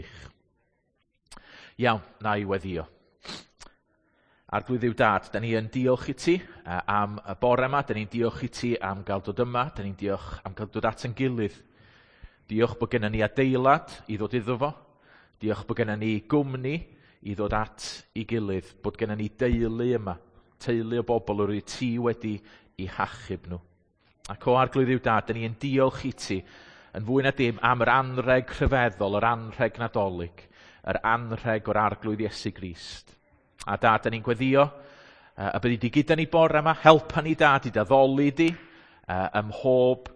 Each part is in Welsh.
Gwych. Iawn, na i weddio. Arglwydd Dduw Dad, da ni yn diolch i ti am y bore yma, da ni'n diolch i ti am gael dod yma, da ni'n diolch am gael dod at ein gilydd. Diolch bod gennym ni adeilad i ddod iddo fo. Diolch bod gennym ni gwmni i ddod at ei gilydd, bod gennym ni deulu yma, teulu o bobl yr wyt ti wedi i hachub nhw. Ac o Arglwydd Dduw Dad, da ni yn diolch i ti yn fwy na dim am yr anrheg rhyfeddol, yr anrheg Nadolig, yr anrheg o'r Arglwydd Iesu Grist. A Dad, da ni'n gweddio y byddi di gyda ni bore yma, helpa ni Dad i d'addoli di ym mhob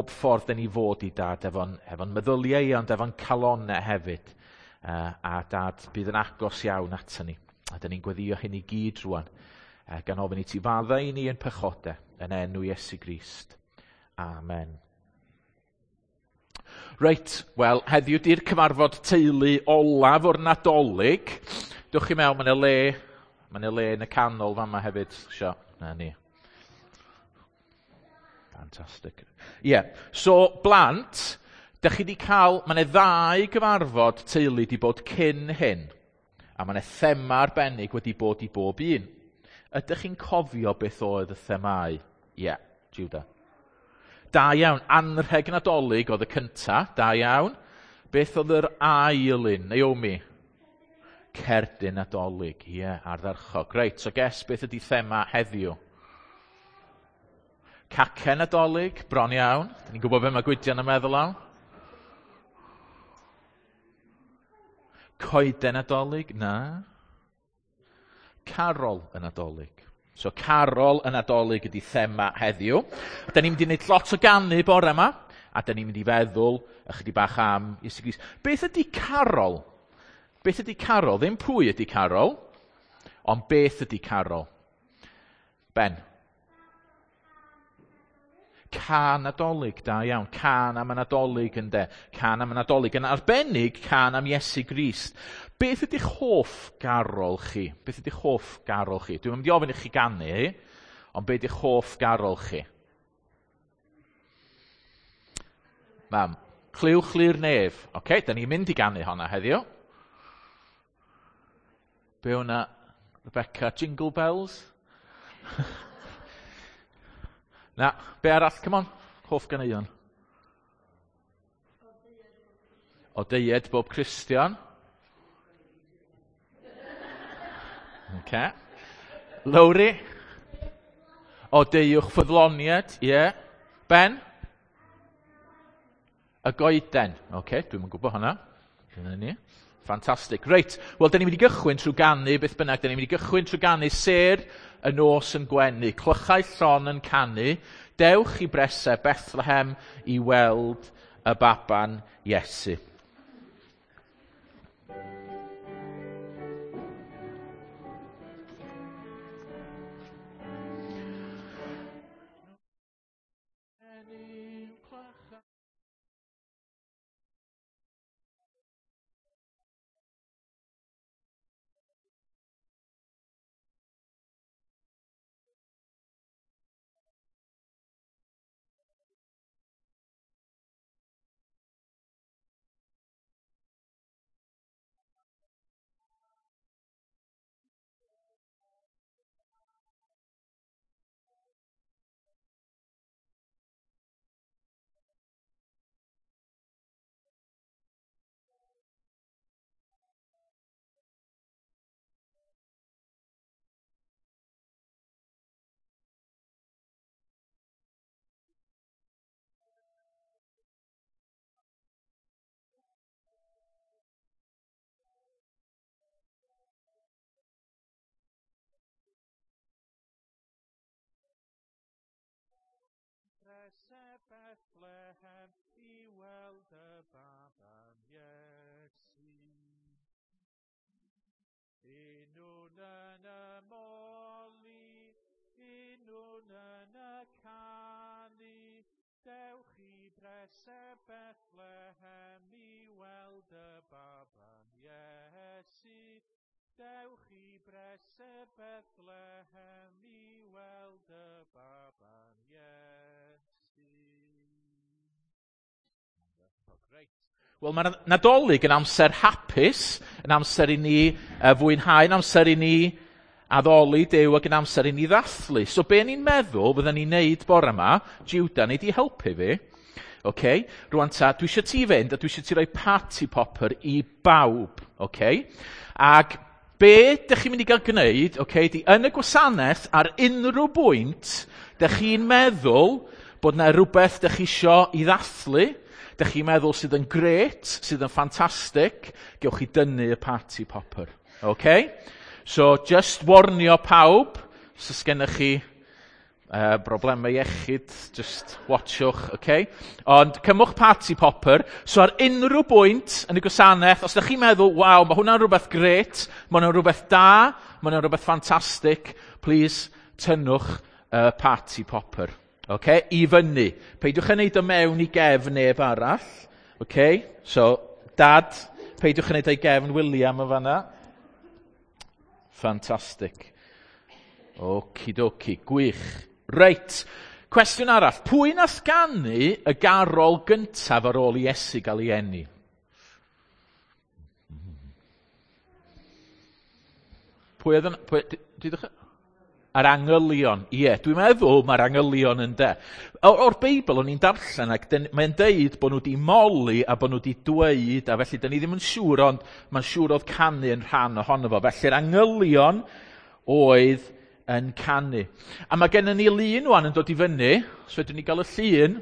ffordd da ni fod i Dad, efo'n meddyliau i, ond efo'n calonnau hefyd. A Dad, bydd yn agos iawn ato ni. A da ni'n gweddio hyn i gyd rwan, gan ofyn i ti faddau i ni yn pechodau, yn enw Iesu Grist. Amen. Reit, wel, heddiw di'r cyfarfod teulu olaf o'r Nadolig. Dewch chi mewn, mae 'na le yn y canol fama hefyd. Sio, na ni. Fantastic. Ie, yeah. So blant, da chi di cael, mae 'na ddau gyfarfod teulu di bod cyn hyn, a mae 'na thema arbennig wedi bod i bob un. Ydych chi'n cofio beth oedd y themâu? Ie, yeah, Judah. Da iawn, anrheg Nadolig oedd y cynta, da iawn. Beth oedd yr ail un, Naomi? Cerdyn Nadolig, ie, yeah, ardderchog. Reit, so guess beth ydy thema heddiw? Cacen Nadolig, bron iawn. Dyn ni'n gwybod beth mae Gwydion yn meddwl am. Coeden Nadolig, na. Carol y Nadolig. So carol y Nadolig ydy thema heddiw. Da ni'n mynd i wneud lot o ganu bore yma, a da ni'n mynd i feddwl ychydig bach am Iesu Grist. Beth ydy carol? Beth ydy carol? Ddim pwy ydy carol, ond beth ydy carol? Ben? Cân Nadolig, da iawn. Cân am y Nadolig ynde. Cân am y Nadolig. Yn arbennig, cân am Iesu Grist. Beth ydych hoff garol chi? Beth ydych hoff garol chi? Dwi'n mynd i ofyn i chi ganu, ond beth ydych hoff garol chi? Mam, clywch li'r nef. Oce, da ni'n mynd i ganu honna heddiw. Be hwnna? Rebecca, Jingle Bells? Na, be arall? Come on, hoff ganeuon. O deied bob Cristion. Okay. Lowri. O deiwch ffyddloniad, ie. Yeah. Ben? Y goeden. Oce, okay, dwi'm yn gwybod hwnna. Dyna ni. Ffantastig. Reit, wel, da ni'n mynd i gychwyn trwy ganu beth bynnag. Da ni'n mynd i gychwyn trwy ganu sêr y nos yn gwenu, clychau llon yn canu, dewch i bresau Bethlehem i weld y baban Iesu. Prese Bethlehem i weld y baban Iesu. Unwn yn y moli, unwn yn y canu, dewch i Brese Bethlehem i weld y baban Iesu. Dewch i Brese Bethlehem i weld y baban Iesu. Reit. Wel, mae Nadolig yn amser hapus, yn amser i ni fwynhau, yn amser i ni addoli Duw ac yn amser i ni ddathlu. So be ni'n meddwl fydden ni'n neud bore yma, Judah, nei di helpu fi. Okay? Rwan ta, dwi eisiau ti fynd a dwi eisiau ti roi party popper i bawb. Okay? Ac be dych chi'n mynd i gael gwneud, okay, di yn y gwasanaeth ar unrhyw bwynt, dych chi'n meddwl bod na rhywbeth dych chi isio i ddathlu, dych chi'n meddwl sydd yn grêt, sydd yn ffantastig, gewch chi dynnu y party popper. Okay? So, just warnio pawb, os gennych chi broblemau iechyd, just watchwch, okay? Ond cymwch party popper. So ar unrhyw bwynt yn y gwasanaeth, os ydych chi'n meddwl, waw, mae hwnna'n rhywbeth grêt, mae hwnna'n rhywbeth da, mae hwnna'n rhywbeth ffantastig, please, tynnwch y party popper. Okay? I fyny. Peidiwch yn neud o mewn i gefn neb arall. Okay? So, Dad, peidiwch yn neud o i gefn William yn fanna. Fantastic. Okidoki, gwych. Reit, cwestiwn arall. Pwy nath ganu y garol gyntaf ar ôl i Iesu gael ei eni? Pwy oedd yn... Pwy, dudwch? Yr angylion. Ie, dwi'n meddwl mae'r angylion yn de. O'r Beibl o'n i'n darllen ac mae'n deud bod nhw wedi moli a bod nhw wedi dweud, a felly dyn ni ddim yn siŵr, ond mae'n siŵr oedd canu yn rhan ohono fo. Felly'r angylion oedd yn canu. A mae gennym ni lun wan yn dod i fyny, so fedrwn ni gael y llun.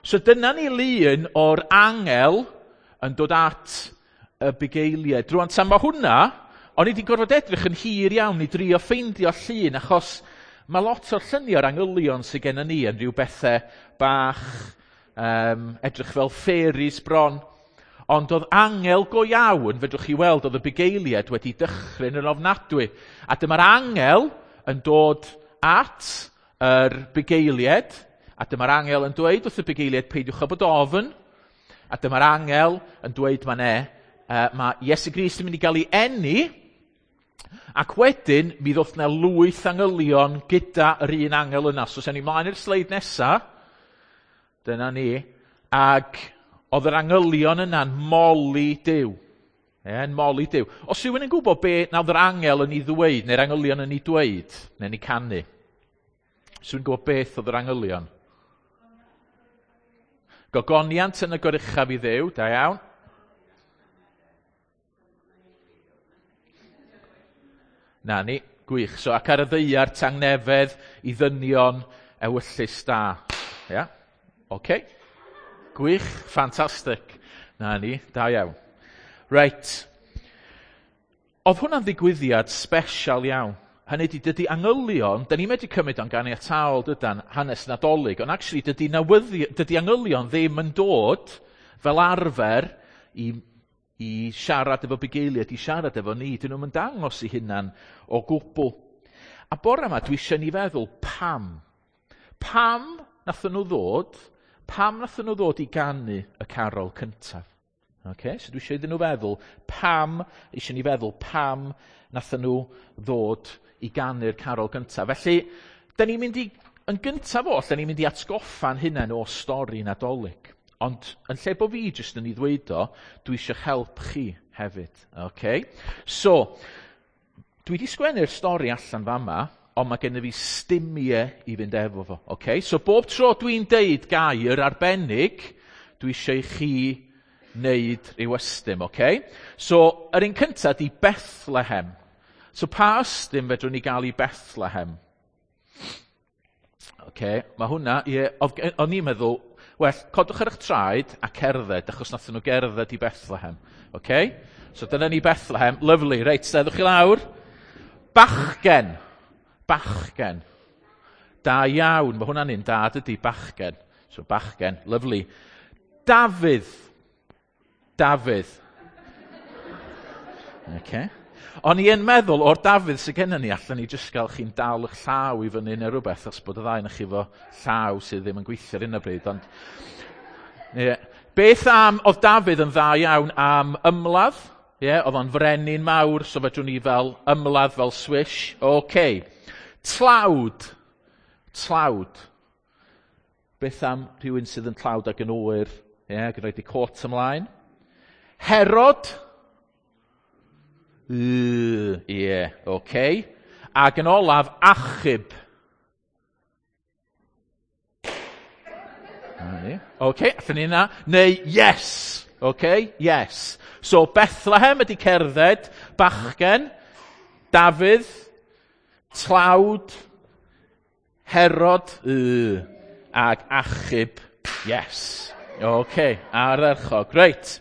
So dyna ni lun o'r angel yn dod at y bugeiliaid. Rwan, tan mae hwnna, o'n i wedi gorfod edrych yn hir iawn i drio ffeindio llun, achos mae lot o'r lluniau o'r angylion sydd gennym ni yn rhyw bethau bach, edrych fel fairies bron. Ond oedd angel go iawn, fedrwch chi weld, oedd y bugeiliaid wedi dychryn yn ofnadwy. A dyma'r angel yn dod at yr bugeiliaid, a dyma'r angel yn dweud wrth y bugeiliaid, peidiwch â bod ofn. A dyma'r angel yn dweud mae Iesu Grist yn mynd i gael ei eni, ac wedyn mi ddoth na lwyth angylion gyda yr un angel yna. So, sen ni mlaen i'r sleid nesa, dyna ni, ac oedd yr angylion yna'n moli Duw. Yn moli Duw. Os rhywun yn gwybod be nath yr angel yn ei ddweud, neu'r angylion yn ei dweud, neu'n ei canu, os rhywun yn gwybod beth oedd yr angylion? Gogoniant yn y goruchaf i Dduw, da iawn. Na ni, gwych. So, ac ar y ddaear tangnefedd i ddynion ewyllys da. Ia? Oce. Gwych, ffantastig. Na ni, da iawn. Reit. Oedd hwnna'n ddigwyddiad special iawn. Hynny ydi, dydy angylion, da ni'n medru cymryd o'n ganiataol dydan, hanes Nadolig, ond actually dydy angylion ddim yn dod fel arfer i siarad efo bugeiliaid, i siarad efo ni. Dyn nhw'n dangos eu hunan o gwbl. A bore yma dwi eisiau ni feddwl pam. Pam nathon nhw ddod? Pam nathon nhw ddod i ganu y carol cyntaf? Okay? So dwi eisiau iddyn nhw feddwl pam, eisiau ni feddwl pam nathon nhw ddod i ganu'r carol gyntaf. Felly, da ni'n mynd i, yn gyntaf oll, da ni'n mynd i atgoffa'n hunain o stori Nadolig. Ond yn lle bo fi jyst yn ei ddweud o, dwi eisiau help chi hefyd. Okay? So, dwi wedi sgwennu'r stori allan fama, ond mae gennym fi stumiau i fynd efo fo. Okay? So, bob tro dwi'n deud gair arbennig, dwi eisiau i chi wneud rhyw ystym. Okay? So, yr un cyntaf di Bethlehem. So, pa ystym fedrwn ni gael i Bethlehem? Okay, mae hwnna, ie, o'n i'n meddwl, well, codwch ar eich traed a cerdded, achos nathon nhw gerdded i Bethlehem. Okay? So dyna ni Bethlehem. Lovely. Reit, steddwch chi lawr. Bachgen. Bachgen. Da iawn. Mae hwnna'n un da, dydy, bachgen. So bachgen. Lovely. Dafydd. Dafydd. Okay. O'n i yn meddwl, o'r Dafydd sydd gennym ni, allan ni jyst gael chi'n dal eich llaw i fyny neu rhywbeth, os bod y ddau yn chi efo llaw sydd ddim yn gweithio ar hyn o bryd. Ond, ie. Beth am, oedd Dafydd yn dda iawn am ymladd, ie, oedd o'n frenin mawr, so fedrwn ni fel ymladd fel swish. Okay. Tlawd. Tlawd. Beth am rhywun sydd yn tlawd ac yn oer, ie, ac yn rhoi di cot ymlaen? Herod. Ie, yeah, oce. Okay. Ac yn olaf, achub. Oce, okay, allan ni yna. Neu yes. Oce, okay, yes. So Bethlehem ydy cerdded, bachgen, Dafydd, tlawd, Herod, ag achub, yes. Oce, okay, ardderchog. Reit.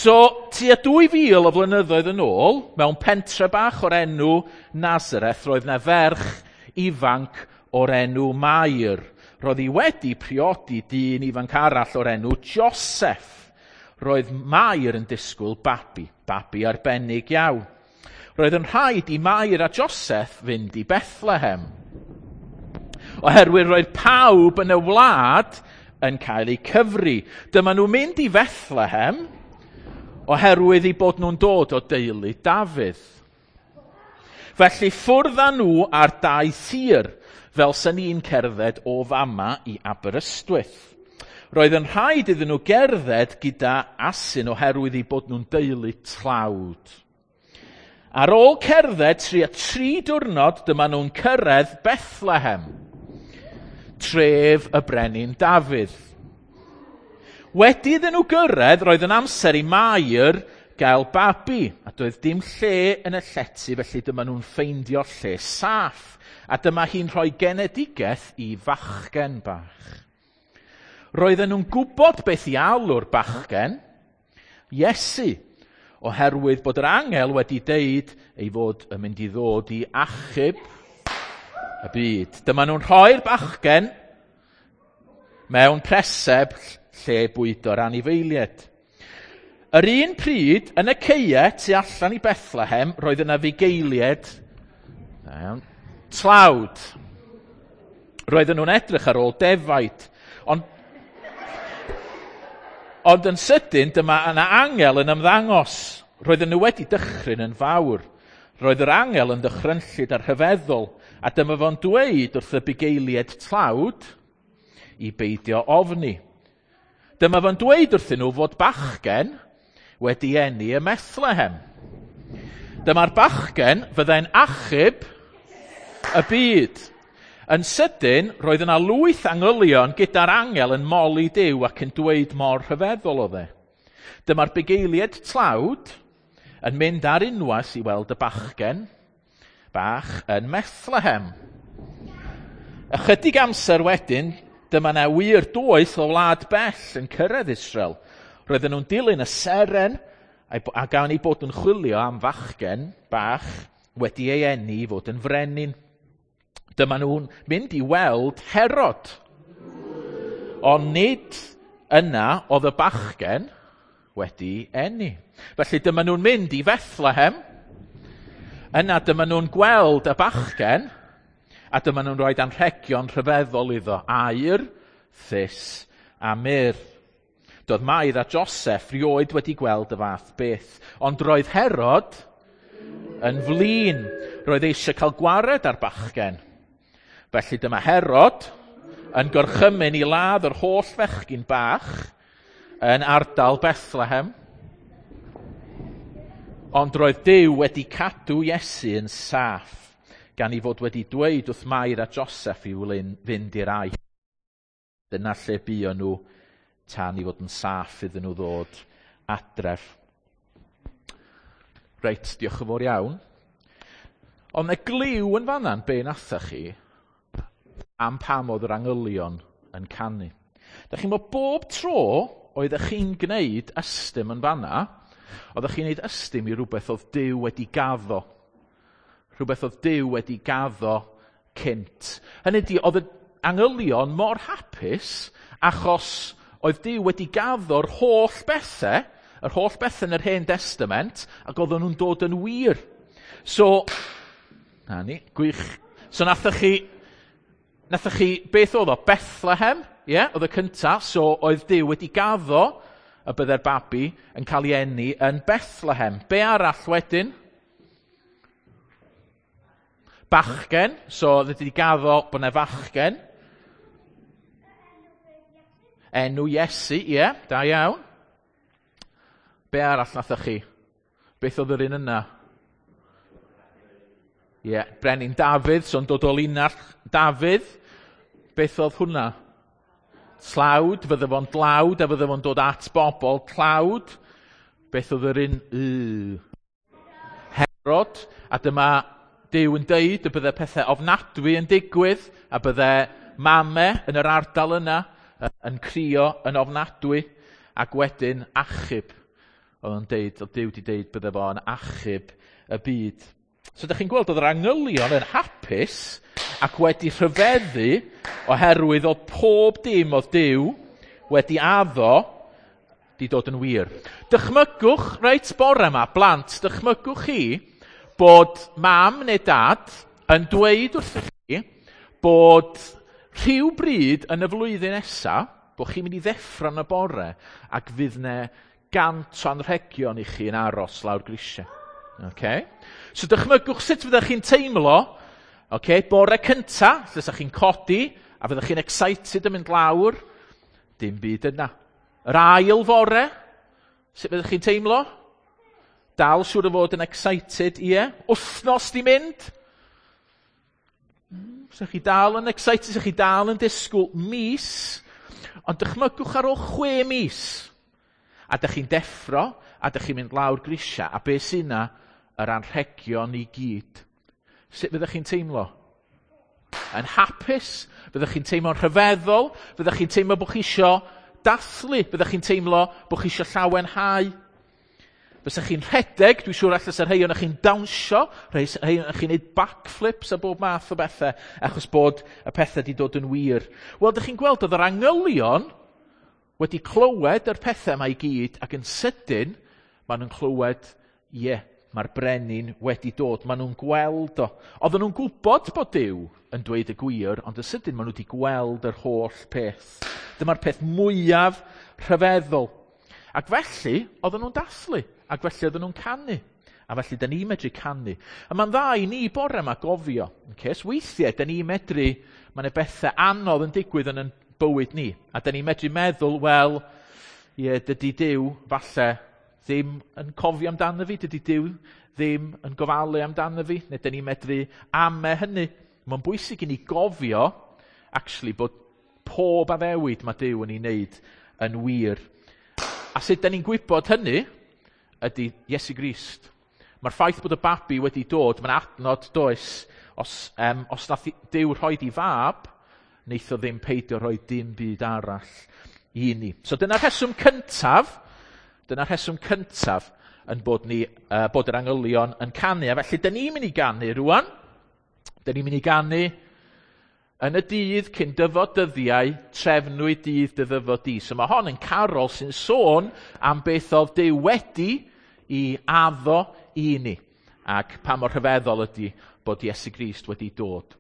So, tua 2000 o flynyddoedd yn ôl, mewn pentre bach o'r enw Nazareth, roedd 'na ferch ifanc o'r enw Mair. Roedd hi wedi priodi dyn ifanc arall o'r enw Joseph. Roedd Mair yn disgwyl babi, babi arbennig iawn. Roedd yn rhaid i Mair a Joseph fynd i Bethlehem. Oherwydd roedd pawb yn y wlad yn cael eu cyfri. Dyma nhw'n mynd i Fethlehem oherwydd eu bod nhw'n dod o deulu Dafydd. Felly ffwrdd â nhw ar daith hir, fel sy'n ni'n cerdded o fama i Aberystwyth. Roedd yn rhaid iddyn nhw gerdded gyda asyn oherwydd eu bod nhw'n deulu tlawd. Ar ôl cerdded tua 3 diwrnod, dyma nhw'n cyrraedd Bethlehem, tref y brenin Dafydd. Wedi iddyn nhw gyrraedd, roedd yn amser i Mair gael babi, a doedd dim lle yn y llety, felly dyma nhw'n ffeindio lle saff, a dyma hi'n rhoi genedigaeth i fachgen bach. Roedden nhw'n gwybod beth i alw'r bachgen, Iesu, oherwydd bod yr angel wedi deud ei fod yn mynd i ddod i achub y byd. Dyma nhw'n rhoi'r bachgen mewn preseb lle bwydo'r anifeiliaid. Yr un pryd, yn y caeau tu allan i Bethlehem, roedd yna fugeiliaid tlawd. Roedden nhw'n edrych ar ôl defaid, ond yn sydyn, dyma yna angel yn ymddangos. Roedden nhw wedi dychryn yn fawr. Roedd yr angel yn ddychrynllyd a rhyfeddol, a dyma fo'n dweud wrth y bugeiliaid tlawd i beidio ofni. Dyma fo'n dweud wrthyn nhw fod bachgen wedi eni ym Methlehem. Dyma'r bachgen fyddai'n achub y byd. Yn sydyn, roedd yna lwyth angylion gyda'r angel yn moli Duw ac yn dweud mor rhyfeddol oedd e. Dyma'r bugeiliaid tlawd yn mynd ar unwaith i weld y bachgen bach yn Methlehem. Ychydig amser wedyn, dyma 'na wir doeth o wlad bell yn cyrraedd Israel. Roedden nhw'n dilyn y seren a gan eu bod yn chwilio am fachgen bach wedi ei eni i fod yn frenin. Dyma nhw'n mynd i weld Herod. Ond nid yna oedd y bachgen wedi eni. Felly dyma nhw'n mynd i Fethlehem. Yna dyma nhw'n gweld y bachgen, a dyma nhw'n rhoi anrhegion rhyfeddol iddo, aur, thus a myrrh. Doedd Mair a Joseph rioed wedi gweld y fath beth, ond roedd Herod yn flin. Roedd eisiau cael gwared ar bachgen. Felly dyma Herod yn gorchymyn i ladd yr holl fechgyn bach yn ardal Bethlehem. Ond roedd Duw wedi cadw Iesu yn saff, gan ei fod wedi dweud wrth Mair a Joseph i fynd i'r Aifft. Dyna lle buon nhw tan i fod yn saff iddyn nhw ddod adref. Reit, diolch yn fawr iawn. Ond y gliw yn fanna'n be natha chi am pam oedd yr angylion yn canu. Da chi'n bod bob tro oeddech chi'n gwneud ystym yn fanna, oeddech chi'n gwneud ystym i rhywbeth oedd Duw wedi gaddo. Rhywbeth oedd Duw wedi gaddo cynt. Hynny ydi, oedd y angylion mor hapus achos oedd Duw wedi gaddo'r holl bethau, yr holl bethau yn yr Hen Testament, ac oedden nhw'n dod yn wir. So, na ni, gwych. So nathoch chi, beth oedd o? Bethlehem, ie, yeah, oedd y cyntaf, so oedd Duw wedi gaddo y bydde'r babi yn cael ei eni yn Bethlehem. Be arall wedyn? Bachgen, so oedd wedi gaddo bod yna fachgen. Enw Iesu, ie, yeah, da iawn. Be arall nathoch chi? Beth oedd yr un yna? Ie, yeah, Brenin Dafydd, so'n dod o linell Dafydd. Beth oedd hwnna? Tlawd, fydde fo'n dlawd a fydde fo'n dod at bobl tlawd. Beth oedd yr un? Herod, a dyma Duw yn deud y bydde pethau ofnadwy yn digwydd, a bydde mame yn yr ardal yna yn crio yn ofnadwy, ac wedyn achub. Oedd o'n deud, oedd Duw wedi deud bydde fo'n achub y byd. So ydych chi'n gweld oedd yr angylion yn hapus ac wedi rhyfeddu oherwydd oedd pob dim oedd Duw wedi addo di dod yn wir. Dychmygwch, reit bore yma, blant, dychmygwch chi bod mam neu dad yn dweud wrthych chi bod rhyw bryd yn y flwyddyn nesa, bod chi'n mynd i ddeffro yn y bore ac fydd ne 100 o anrhegion i chi yn aros lawr grisiau. Okay? So dychmygwch sut fyddech chi'n teimlo, okay, bore cynta, lle sa chi'n codi, a fyddech chi'n excited yn mynd lawr, dim byd yna. Yr ail fore, sut fyddech chi'n teimlo? Dal siŵr o fod yn excited, ie. Wythnos di mynd. Sa chi dal yn excited, sa chi dal yn disgwyl mis, ond dychmygwch ar ôl 6 mis. A dych chi'n deffro, a dych chi'n mynd lawr grisia, a be sy'n yna? Yr anrhegion i gyd. Sut fyddech chi'n teimlo? Yn hapus? Fyddech chi'n teimlo'n rhyfeddol? Fyddech chi'n teimlo bod chi isio dathlu? Fyddech chi'n teimlo bod chi isio llawenhau? Fysa chi'n rhedeg, dwi'n siŵr allan rhai ohonoch chi'n dawnsio, rhai ohonoch chi'n neud backflips a bob math o bethau, achos bod y pethau wedi dod yn wir. Wel, dych chi'n gweld, oedd yr angylion wedi clywed yr pethau yma i gyd, ac yn sydyn, maen nhw'n clywed, ie, mae'r brenin wedi dod, maen nhw'n gweld o. Oedden nhw'n gwybod bod Duw yn dweud y gwir, ond yn sydyn maen nhw wedi gweld yr holl peth. Dyma'r peth mwyaf rhyfeddol. Ac felly, oedden nhw'n dathlu, ac felly oedden nhw'n canu. A felly, da ni'n medru canu. A mae'n dda i ni bore yma gofio. Okay? So weithiau, da ni'n medru, mae yna bethau anodd yn digwydd yn ein bywyd ni. A da ni'n medru meddwl, wel, ie, dydy Duw falle ddim yn cofio amdano fi, dydy Duw ddim yn gofalu amdano fi, neu da ni'n medru ame hynny. Mae'n bwysig i ni gofio, actually, bod pob addewid mae Duw yn ei wneud yn wir. A sut da ni'n gwybod hynny ydy Iesu Grist. Mae'r ffaith bod y babi wedi dod, mae'n adnod does, os nath Duw rhoid i fab, neith o ddim peidio rhoi dim byd arall i ni. So dyna'r rheswm cyntaf, yn bod ni, bod yr angylion yn canu. A felly, da ni'n mynd i ganu rwan. Da ni'n mynd i ganu yn y dydd cyn dyfod dyddiau, trefnwyd dydd dy ddyfod di. So mae hon yn carol sy'n sôn am beth oedd Duw wedi i addo i ni. Ac pa mor rhyfeddol ydy bod Iesu Grist wedi dod.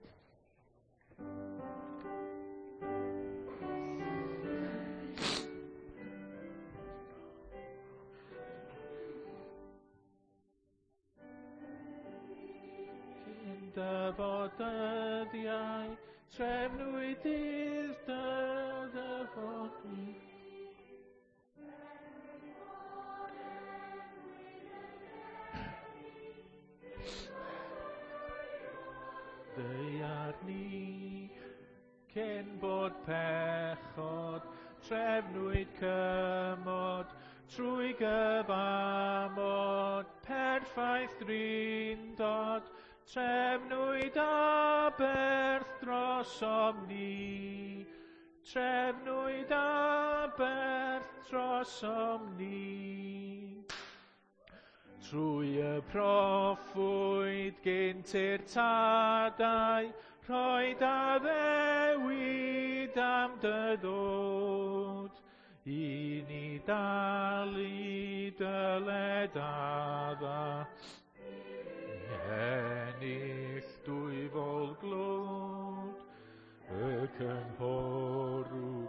Cyn dyfod dyddiau, trefnwyd dydd dy ddyfod di. Ddaear ni, cyn bod pechod, trefnwyd cymod, trwy gyfamod, perffaith drindod, trefnwyd aberth drosom ni, trefnwyd aberth drosom ni. Trwy y proffwyd gynt i'r tadau, rhoed addewid am dy ddod, i ni dalu dyled adda. Ennill dwyfol glod, y cynghorw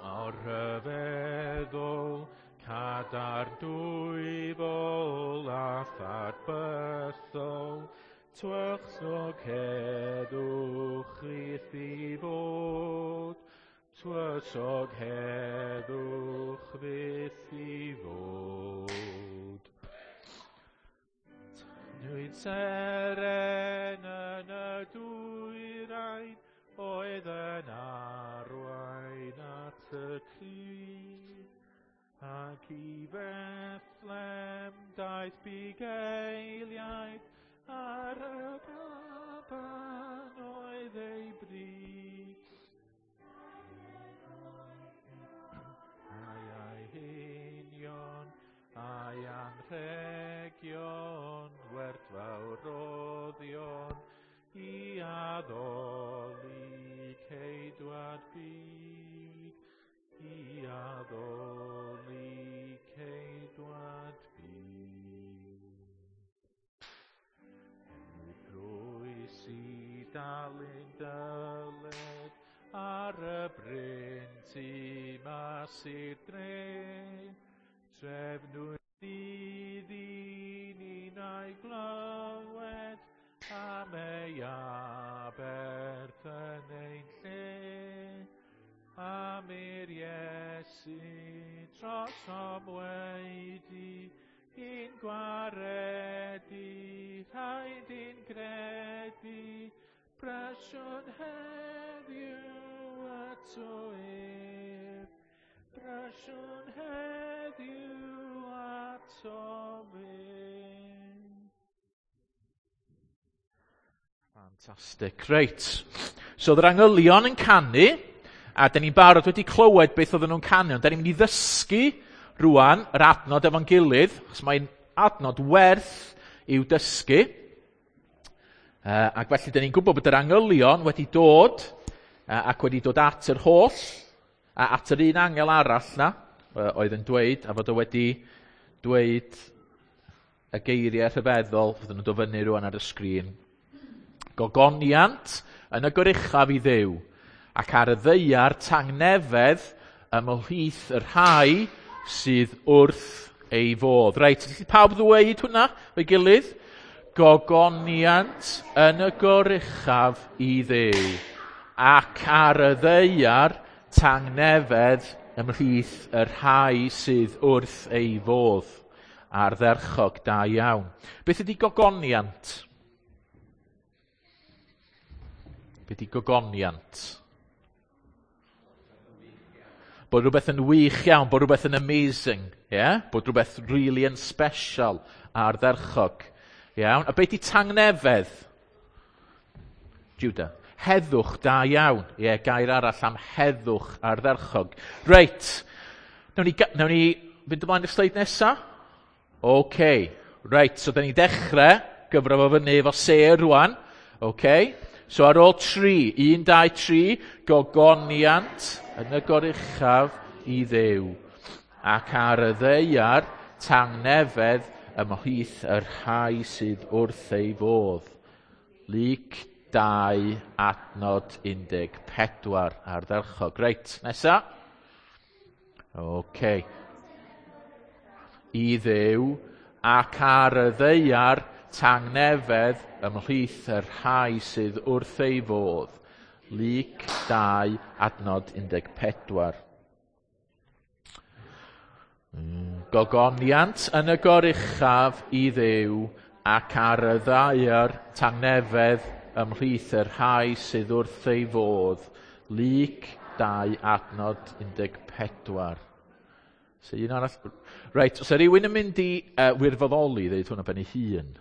mor rhyfeddol, cadar dwyfol a thad bythol, tywysog heddwch fyth i fod, tywysog heddwch fyth i fod. Un seren yn y dwyrain oedd yn arwain at y Crist. Ac i Bethlem daeth bugeiliaid ar y baban oedd ei bri. Ai ai hunion, ai anrhegion, werthfawr roddion, i addoli ceidwad byd, i addoli ceidwad byd. Enwi croes i dalu'n dyled ar y bryn tu mas i'r dre. Trefnwyd i ninnau glywed am ei aberth yn ein lle. Am i'r Iesu trosom wedi i'n gwaredu, rhaid i'n gredu, brysiwn heddiw ato ef. Brysiwn heddiw ato ef. Fantastic. Reit. So, oedd yr angylion yn canu, a dyn ni'n barod wedi clywed beth oedden nhw'n canu, ond dyn ni'n mynd i ddysgu rwan yr adnod efo'n gilydd, achos mae'n adnod werth i'w dysgu. Ac felly dyn ni'n gwybod bod yr angylion wedi dod ac wedi dod at yr holl, a at yr un angel arall na, oedd yn dweud, a fod o wedi dweud y geiriau rhyfeddol, fydden nhw'n dod fyny rwan ar y sgrin. Gogoniant yn y goruchaf i Dduw, ac ar y ddaear tangnefedd ymhlith y rhai sydd wrth ei fodd. Reit, felly pawb ddweud hwnna o'i gilydd? Gogoniant yn y goruchaf i Dduw, ac ar y ddaear tangnefedd ymhlith y rhai sydd wrth ei fodd. Ardderchog, da iawn. Beth ydy gogoniant? Beth ydy gogoniant? Bod rhywbeth yn wych iawn, bod rhywbeth yn amazing, yeah? Bod rhywbeth really yn special, ardderchog. Iawn. A beth ydy tangnefedd? Judah. Heddwch, da iawn. Ie, yeah, gair arall am heddwch ardderchog. Reit. Nawn ni fynd ymlaen i'r sleid nesa? OK. Reit, so da ni'n dechrau gyfro fo fyny efo sêr rwan. OK. So ar ôl 3, 1, 2, 3, gogoniant yn y goruchaf i Dduw. Ac ar y ddaear, tangnefedd ymhlith y rhai sydd wrth ei fodd. Luc 2, adnod 14, ardderchog. Reit, nesa. OK. I Dduw ac ar y ddaear tangnefedd ymhlith y rhai sydd wrth ei fodd. Luc 2, adnod 14. Gogoniant yn y goruchaf i Dduw ac ar y ddaear tangnefedd ymhlith y rhai sydd wrth ei fodd. Luc 2, adnod 14. So un arall. Reit, os yw rhywun yn mynd i wirfoddoli, ddeud hwnna ben ei hun.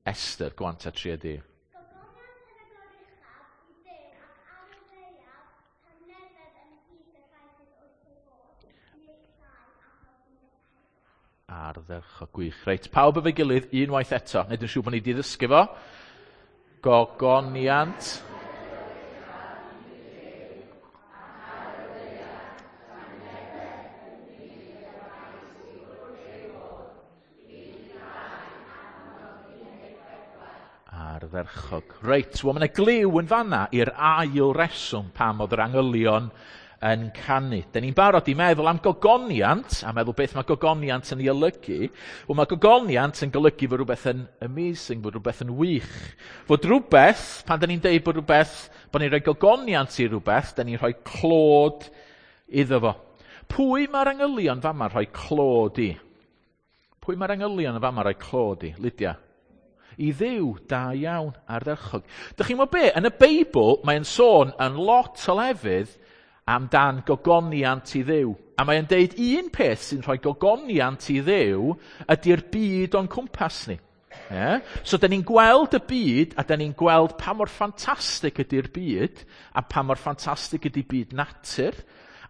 Esther, go on ta, tria di. Gogoniant yn y goruchaf i Dduw ac ar y ddaear tangnefedd ymhlith y rhai sydd wrth ei fodd. Luc 2, adnod 14. Ardderchog, gwych. Reit, pawb efo'i gilydd, unwaith eto. Wneud yn siŵr bod ni wedi ddysgu fo. Gogoniant. Ardderchog. Reit, wel, mae yna gliw yn fanna i'r ail reswm pam oedd yr angylion yn canu. Dyn ni'n barod i meddwl am gogoniant, a meddwl beth mae gogoniant yn ei olygu. Wel, mae gogoniant yn golygu fod rhywbeth yn amazing, fod rhywbeth yn wych. Fod rhywbeth, pan dyn ni'n deud bod rhywbeth, bod ni'n rhoi gogoniant i rhywbeth, dyn ni'n rhoi clod iddo fo. Pwy mae'r angylion fama rhoi clod i? Pwy mae'r angylion yn fama rhoi clod i? Lydia? I Dduw, da iawn, ardderchog. Dych chi'n gwybod be? Yn y Beibl, mae'n sôn yn lot o lefydd amdan gogoniant i Dduw. A mae'n deud un peth sy'n rhoi gogoniant i Dduw ydy'r byd o'n cwmpas ni. Yeah? So, da ni'n gweld y byd, a da ni'n gweld pa mor ffantastig ydy'r byd, a pa mor ffantastig ydy byd natur,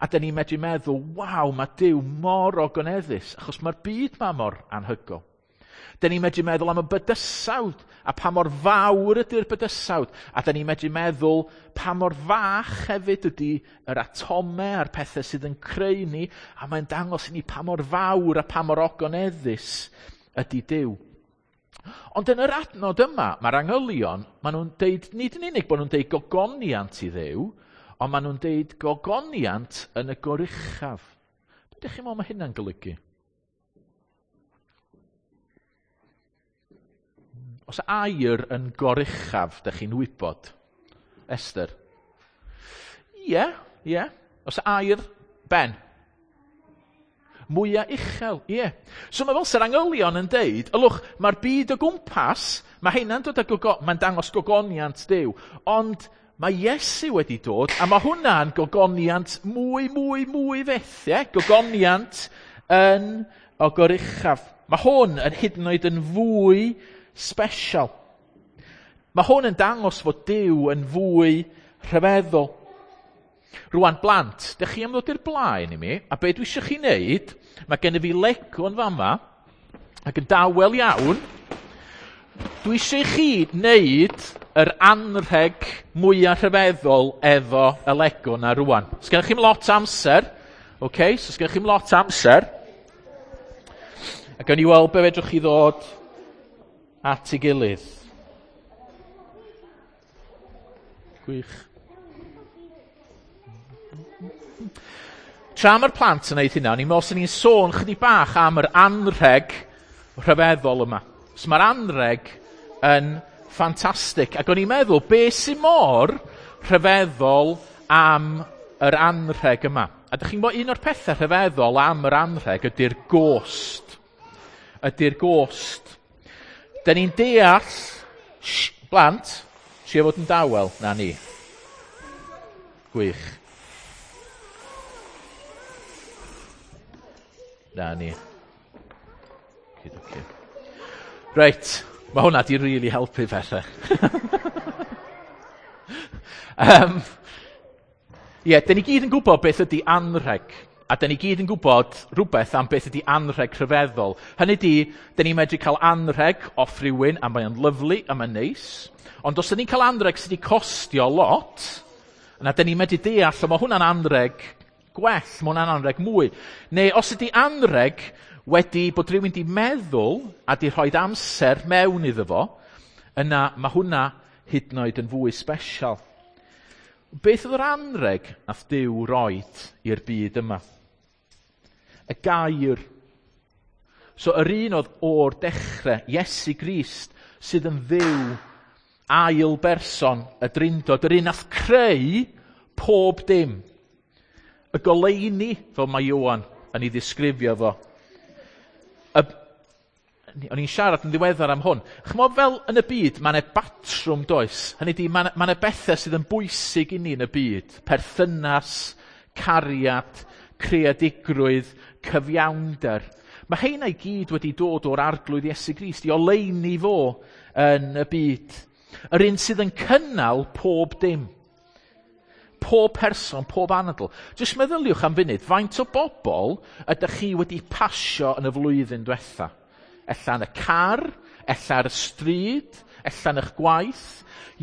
a da ni'n medru meddwl, waw, mae Duw mor ogoneddus, achos mae'r byd ma mor anhygoel. Da ni'n medru meddwl am y bydysawd, a pa mor fawr ydy'r bydysawd, a da ni'n medru meddwl pa mor fach hefyd ydy yr atomau a'r pethau sydd yn creu ni, a mae'n dangos i ni pa mor fawr a pa mor ogoneddus ydy Duw. Ond yn yr adnod yma, mae'r angylion, maen nhw'n deud, nid yn unig bod nhw'n deud gogoniant i Dduw, ond maen nhw'n deud gogoniant yn y goruchaf. Be ydych chi'n meddwl mae hynna'n golygu? Os air yn goruchaf, ydych chi'n wybod? Esther? Ie, ie. Os air, Ben? Mwyaf uchel, ie. So mae fel sy'r angylion yn deud, ylwch, mae'r byd o gwmpas, mae hynna'n dod â gogo, mae'n dangos gogoniant Duw, ond mae Iesu wedi dod, a mae hwnna'n gogoniant mwy, mwy, mwy fyth, ie? Gogoniant yn o goruchaf. Mae hwn yn hyd yn oed yn fwy special. Mae hwn yn dangos fod Duw yn fwy rhyfeddol. Rwan, blant, dych chi am ddod i'r blaen i mi, a be dwi eisiau chi wneud, mae gen i fi Lego yn fama, ac yn dawel iawn, dwi eisiau chi wneud yr anrheg mwyaf rhyfeddol efo y Lego na rwan. Sgennych chi'm lot amser, okay? So sgennych chi'm lot amser, a gawn ni weld be fedrwch chi ddod at ei gilydd. Gwych. Tra mae'r plant yn neud hynna, o'n i'n meddwl sy'n ni'n sôn chydig bach am yr anrheg rhyfeddol yma. So mae'r anrheg yn ffantastig. Ac o'n i'n meddwl, be sy'n mor rhyfeddol am yr anrheg yma? A dych chi'n gwybod, un o'r pethau rhyfeddol am yr anrheg ydy'r gost. Ydy'r gost. Da ni'n deall, shh, blant, trio fod yn dawel, na ni. Gwych. Na ni. Okay. Reit, mae hwnna di really helpu pethau. Ie, dyn ni gyd yn gwybod beth ydy anrheg. A dyn ni gyd yn gwybod rhywbeth am beth ydy anrheg rhyfeddol. Hynny ydy, dyn ni'n medru cael anrheg off rhywun, a mae'n lyfli, a mae'n neis. Ond os dyn ni'n cael anrheg sydd wedi costio lot, yna dyn ni'n medru deall, o mae hwnna'n anrheg gwell, mae hwnna'n anrheg mwy. Neu os ydy anrheg wedi bod rhywun wedi meddwl a di rhoi amser mewn iddo fo, yna mae hwnna hyd yn oed yn fwy special. Beth oedd yr anrheg nath Duw roed i'r byd yma? Y gair. So yr un oedd o'r dechrau, Iesu Grist, sydd yn Dduw, ail berson, y Drindod, yr un nath creu pob dim. Y goleuni, fel mae Ioan yn ei ddisgrifio fo. O'n i'n siarad yn ddiweddar am hwn. Ch'mod fel yn y byd, mae 'na batrwm does. Hynny ydi, mae 'na bethau sydd yn bwysig i ni yn y byd. Perthynas, cariad, creadigrwydd, cyfiawnder. Mae heina i gyd wedi dod o'r Arglwydd Iesu Grist i oleuni fo yn y byd. Yr un sydd yn cynnal pob dim. Pob person, pob anadl. Jyst meddyliwch am funud, faint o bobl ydych chi wedi pasio yn y flwyddyn diwetha? Ella yn y car, ella ar y stryd, ella yn eich gwaith.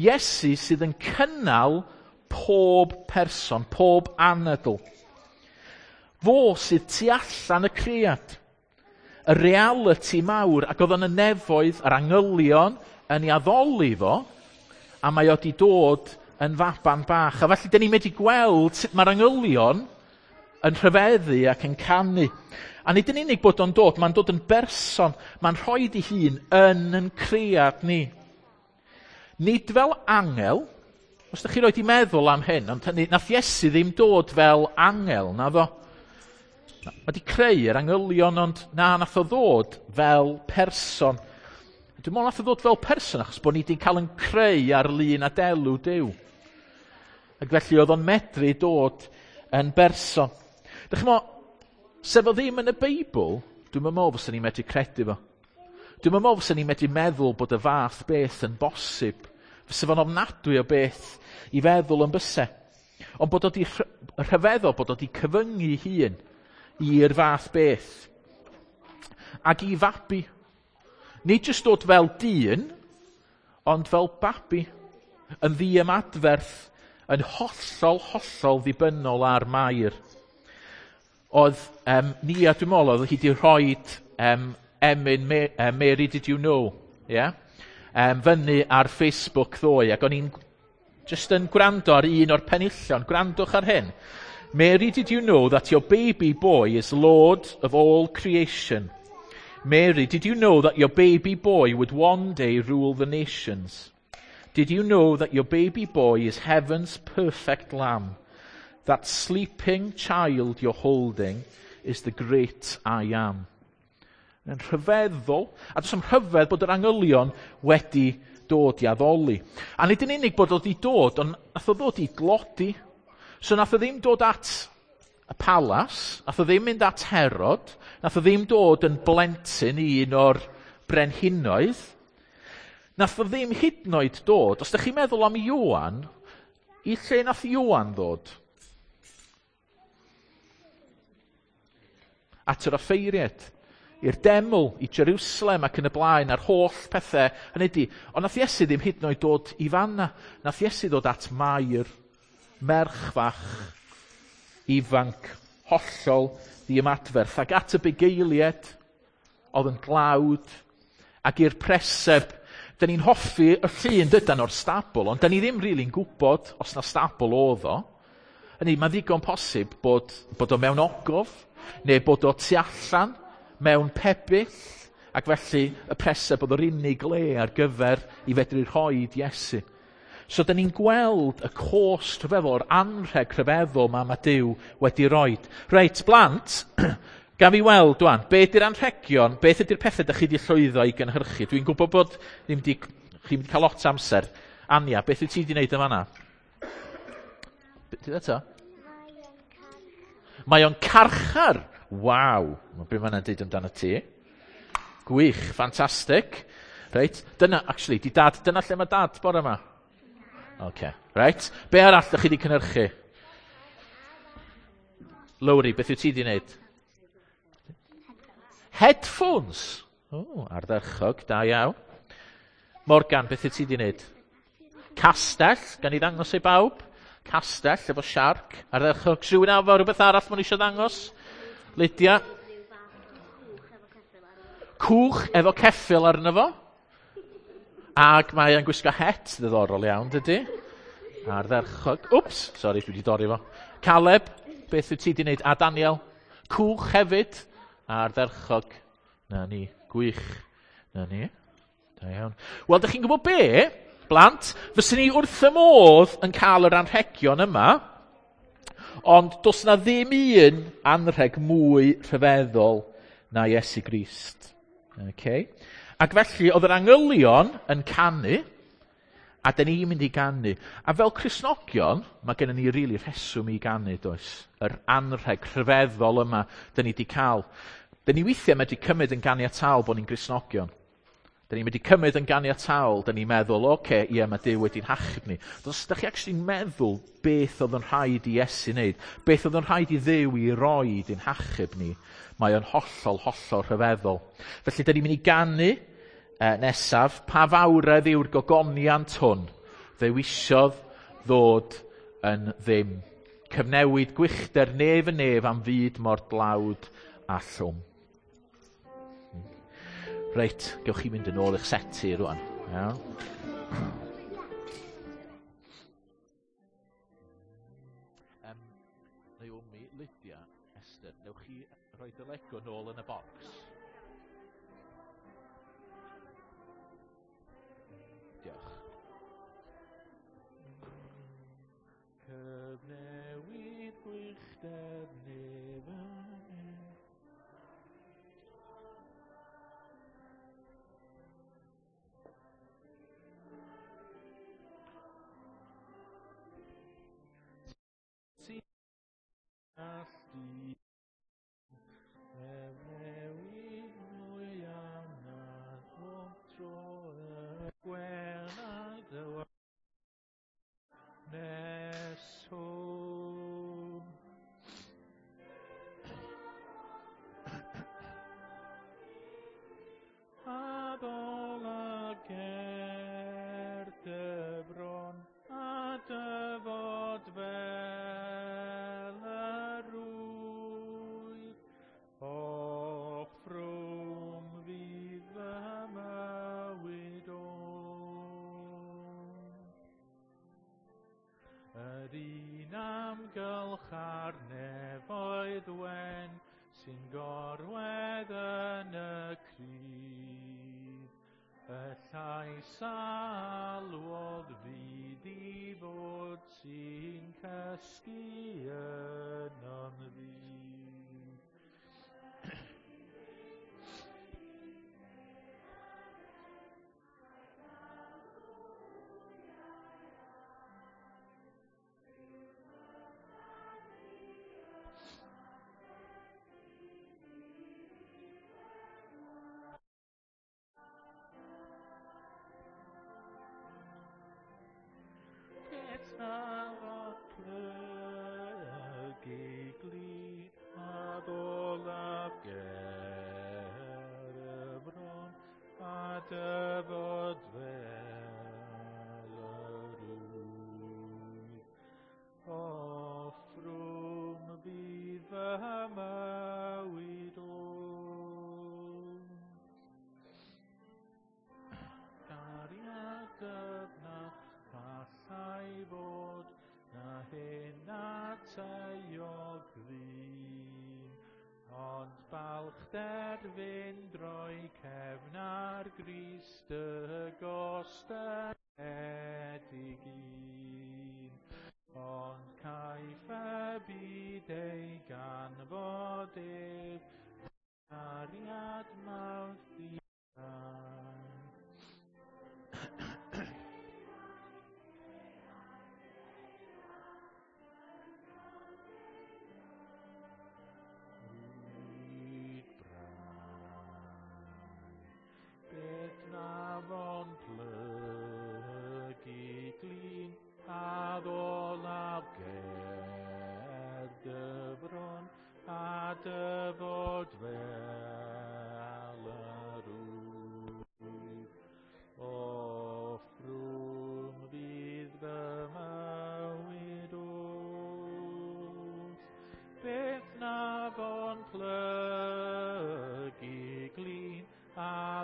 Iesu sydd yn cynnal pob person, pob anadl. Fo sydd tu allan y cread. Y reality mawr, ac oedd yn y nefoedd, yr angylion yn ei addoli fo, a mae o di dod yn faban bach. A felly, dyn ni'n medru gweld sut mae'r angylion yn rhyfeddu ac yn canu. A nid yn unig bod o'n dod, mae'n dod yn berson, mae'n rhoi ei hun yn yn cread ni. Nid fel angel, os ydych chi roed i meddwl am hyn, ond hynny, nath Iesu ddim dod fel angel, naddo. Mae di creu yr angylion, ond na, nath o ddod fel person. Dwi'n meddwl nath o ddod fel person achos bod ni wedi cael yn creu ar lun a delw Duw. Ac felly oedd o'n medru dod yn berson. Dych chi'n meddwl, sef o ddim yn y Beibl, dwi'n meddwl fysa ni'n medru credu fo. Dwi'n meddwl fysa ni'n medru meddwl bod y fath beth yn bosib. Fysa fo'n ofnadwy o beth i feddwl yn byse. Ond bod o di rhyfeddol, bod o di cyfyngu hun i'r fath beth. Ac i fabi. Nid jyst dod fel dyn, ond fel babi. Yn ddiymadferth, yn hollol, hollol ddibynnol ar Mair. Oedd Nia, dwi'n meddwl, oedd hi wedi rhoi emyn Mary Did You Know, yeah? Fyny ar Facebook ddoe, ac o'n i'n just yn gwrando ar un o'r penillion. Gwrandwch ar hyn. Mary, did you know that your baby boy is Lord of all creation? Mary, did you know that your baby boy would one day rule the nations? Did you know that your baby boy is heaven's perfect lamb? That sleeping child you're holding is the great I am. Yn rhyfeddol, a does am rhyfedd bod yr angylion wedi dod i addoli. A nid yn unig bod o wedi dod, ond nath o ddod i glodi. So nath o ddim dod at y palas, nath o ddim mynd at Herod, nath o ddim dod yn blentyn i un o'r brenhinoedd, nath o ddim hyd yn oed dod, os ydych chi'n meddwl am Ioan, i lle nath Ioan ddod? At yr offeiriad, i'r deml, i Jerusalem ac yn y blaen, a'r holl pethau. Hynny ydi, ond nath Iesu ddim hyd yn oed dod i fanna. Nath Iesu ddod at Mair, merch fach, ifanc, hollol ddiymadferth, ac at y bugeiliad, oedd yn dlawd, ac i'r preseb. Da ni'n hoffi y llun dydan o'r stabl, ond da ni ddim rili'n gwybod os na stabl oedd o. Hynny, mae'n ddigon posib bod o mewn ogof, neu bod o tu allan, mewn pebyll, ac felly y preseb oedd yr unig le ar gyfer i fedru rhoi Iesu. So, da ni'n gweld y cost rhyfeddol, yr anrheg rhyfeddol mae Duw wedi roed. Reit, blant, gaf i weld, dwan, be ydy'r anrhegion, beth ydy'r pethau ydych chi wedi llwyddo i gynhyrchu? Dwi'n gwybod bod ddim di, chi wedi cael lot amser. Ania, beth wyt ti wedi gwneud yn fanna? Beth eto? Mae o'n carchar. Waw, mae be mae'n dweud amdano ti. Gwych, ffantastig. Reit, dyna, actually, di dad, dyna lle mae dad bore yma? Oce, reit. Be arall ydych chi wedi cynhyrchu? Lowri, beth wyt ti wedi wneud? Headphones. O, ardderchog, da iawn. Morgan, beth wyt ti wedi wneud? Castell, gan i ddangos i bawb. Castell efo siarc. Ardderchog. Rhywun efo rhywbeth arall maen nhw eisiau ddangos? Lydia? Cwch efo ceffyl arno fo. Ac mae e'n gwisgo het ddiddorol iawn, dydy? Ardderchog. Wps, sori, dwi wedi dorri fo. Caleb, beth wyt ti wedi wneud? A Daniel? Cwch hefyd. Ardderchog. Na ni, gwych. Na ni. Da iawn. Wel, dych chi'n gwybod be, blant? Fyswn ni wrth y modd yn cael yr anrhegion yma, ond does na ddim un anrheg mwy rhyfeddol na Iesu Grist. Okay. Ac felly, oedd yr angylion yn canu, a dyn ni'n mynd i ganu. A fel Cristnogion, mae gennym ni rili rheswm i ganu, does? Yr anrheg rhyfeddol yma dyn ni wedi cael. Dyn ni weithiau medru cymryd yn ganiataol bod ni'n Gristnogion. Dyn ni'n medru cymryd yn ganiataol, dyn ni'n meddwl, oce, ie, mae Duw wedi'n hachub ni. Ond os ydych chi actually'n meddwl beth oedd yn rhaid i Iesu wneud, beth oedd yn rhaid i Dduw i roi i'n hachub ni, mae o'n hollol, hollol rhyfeddol. Felly, dyn ni'n mynd i ganu nesaf, pa fawredd yw'r gogoniant hwn, ddewisiodd ddod yn ddim. Cyfnewid gwychder nef yn nef am fyd mor dlawd a llwm. Reit, gewch chi mynd yn ôl i'ch seti rwan. Iawn. Naomi, Lydia, Esther, newch chi rhoi y Lego nôl yn y bocs? Diolch. Cyfnewid gwychder nef yn nef. dyfod fel yr wyf. Offrwm fydd fy mywyd oll. Cariad dyfnach allai fod na hyn at euog ddyn, ond balchder fynd droi cefn ar Grist y gostyngedig un. Ond caiff y byd ei ganfod ef, cariad mawr ddiau. Rhyd brau, beth na fo'n plygu glin, a ddolaf ger dy fron, a dyfod fel yr wyf. Offrwm fydd fy mywyd oll, beth na fo'n plygu glin, a